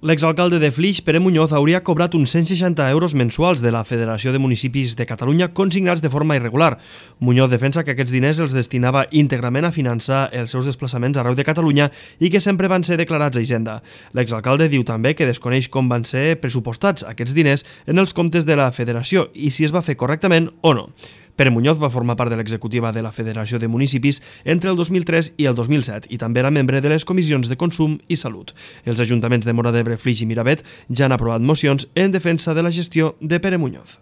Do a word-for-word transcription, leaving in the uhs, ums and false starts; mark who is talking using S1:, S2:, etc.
S1: L'exalcalde de Flix, Pere Muñoz, hauria cobrat uns cent seixanta euros mensuals de la Federació de Municipis de Catalunya consignats de forma irregular. Muñoz defensa que aquests diners els destinava íntegrament a finançar els seus desplaçaments arreu de Catalunya i que sempre van ser declarats a Hisenda. L'exalcalde diu també que desconeix com van ser pressupostats aquests diners en els comptes de la Federació i si es va fer correctament o no. Pere Muñoz va formar part de l'executiva de la Federació de Municipis entre el dos mil tres i el dos mil set i també era membre de les comissions de Consum i Salut. Els ajuntaments de Móra d'Ebre, Flix i Miravet ja han aprovat mocions en defensa de la gestió de Pere Muñoz.